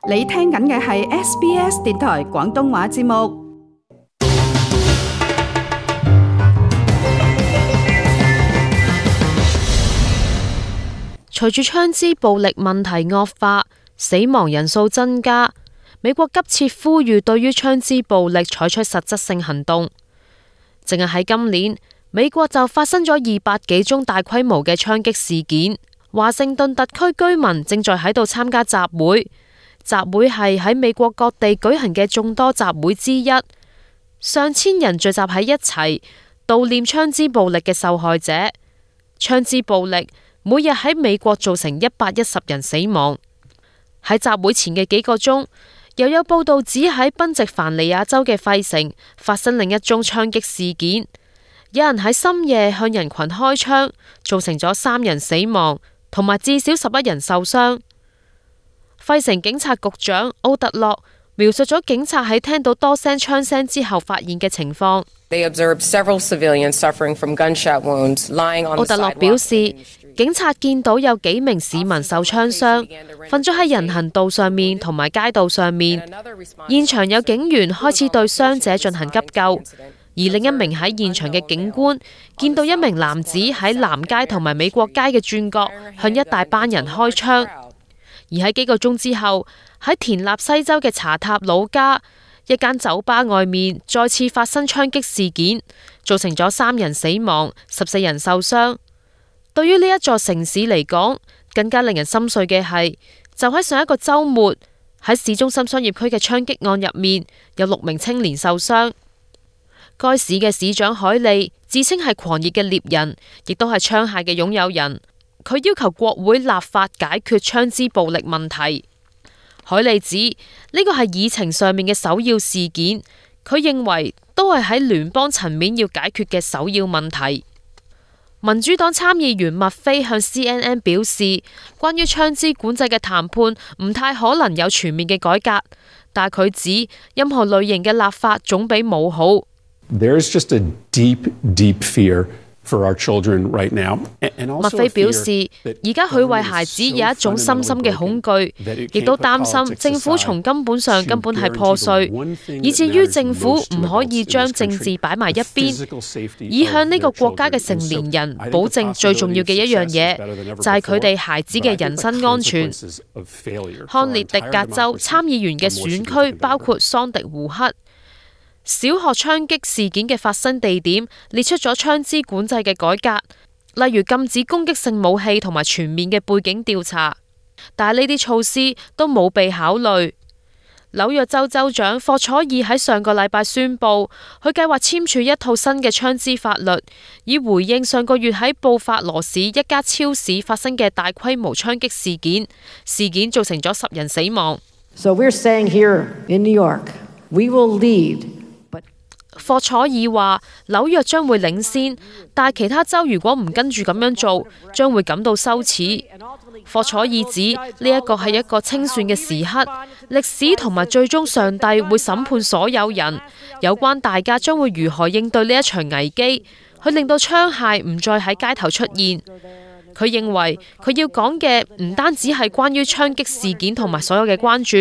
你聽緊嘅係 SBS 電台廣東話節目。隨住槍支暴力問題惡化，死亡人數增加，美國急切呼籲對於槍支暴力採取實質性行動。淨係喺今年，美國就發生咗200幾宗大規模嘅槍擊事件。華盛頓特區居民正在喺度參加集會，集會係喺美國各地舉行嘅眾多集會之一，上千人聚集喺一齊悼念槍支暴力嘅受害者。槍支暴力每日喺美國造成110人死亡。喺集會前嘅幾個鐘，又有報道指喺賓夕凡尼亞州嘅費城發生另一宗槍擊事件，有人喺深夜向人群開槍，造成咗3人死亡，同埋至少11人受傷。費城警察局長奧特洛描述咗警察喺聽到多聲槍聲之後發現嘅情況。奧特洛表示，警察見到有幾名市民受槍傷，瞓咗喺人行道上面同埋街道上面。現場有警員開始對傷者進行急救，而另一名喺現場嘅警官見到一名男子喺南街同埋美國街嘅轉角向一大班人開槍。而喺幾個鐘之後，喺田納西州嘅查塔努加一間酒吧外面再次發生槍擊事件，造成咗3人死亡，14人受傷。對於呢一座城市嚟講，更加令人心碎嘅係，就喺上一個週末喺市中心商業區嘅槍擊案入面，有6名青年受傷。該市嘅市長海利自稱係狂熱嘅獵人，亦都係槍械嘅擁有人。佢要求國會立法解決槍支暴力問題。海利指呢個係議程上面嘅首要事件，佢認為都係喺聯邦層面要解決嘅首要問題。民主黨參議員麥菲向 CNN 表示，關於槍支管制嘅談判唔太可能有全面嘅改革，但佢指任何類型嘅立法總比冇好。There is just a deep, deep fear for our children right now. 麥菲表示，而家佢為孩子有一種深深嘅恐懼，亦都擔心政府從根本上根本係破碎，以至於政府唔可以將政治擺埋一邊，以向呢個國家嘅成年人保證最重要嘅一樣嘢，就係佢哋孩子嘅人身安全。康涅狄格州參議員嘅選區包括桑迪胡克。小學槍擊事件嘅發生地點列出咗槍支管制嘅改革，例如禁止攻擊性武器同埋全面嘅背景調查，但係呢啲措施都冇被考慮。紐約州州長霍楚爾喺上個禮拜宣布，佢計劃簽署一套新嘅槍支法律，以回應上個月喺布法羅市一家超市發生嘅大規模槍擊事件，事件造成咗10人死亡。So we're saying here in New York, we will lead.霍楚爾話紐約將會領先，但係其他州如果唔跟住咁樣做，將會感到羞恥。霍楚爾指呢一個係一個清算嘅時刻，歷史同埋最終上帝會審判所有人，有關大家將會如何應對呢一場危機，去令到槍械唔再喺街頭出現。佢認為佢要講嘅唔單止係關於槍擊事件同埋所有嘅關注，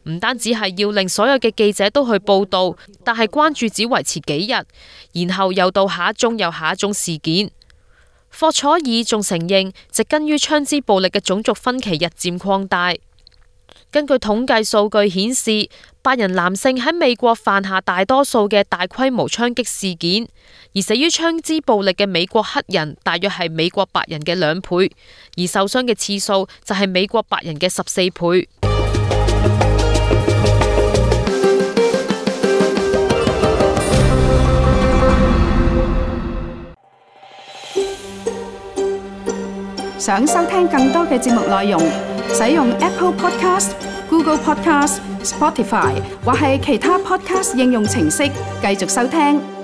唔單止係要令所有嘅記者都去報道，但係關注只維持幾日，然後又到下一宗又下一宗事件。霍楚爾仲承認，植根於槍支暴力嘅種族分歧日漸擴大。根據統計數據顯示，白人男性喺美國犯下大多數嘅大規模槍擊事件，而死於槍支暴力嘅美國黑人大約係美國白人嘅2倍，而受傷嘅次數就係美國白人嘅14倍。想收聽更多嘅節目內容，使用 Apple Podcast、Google Podcast、Spotify 或係其他 Podcast 應用程式繼續收聽。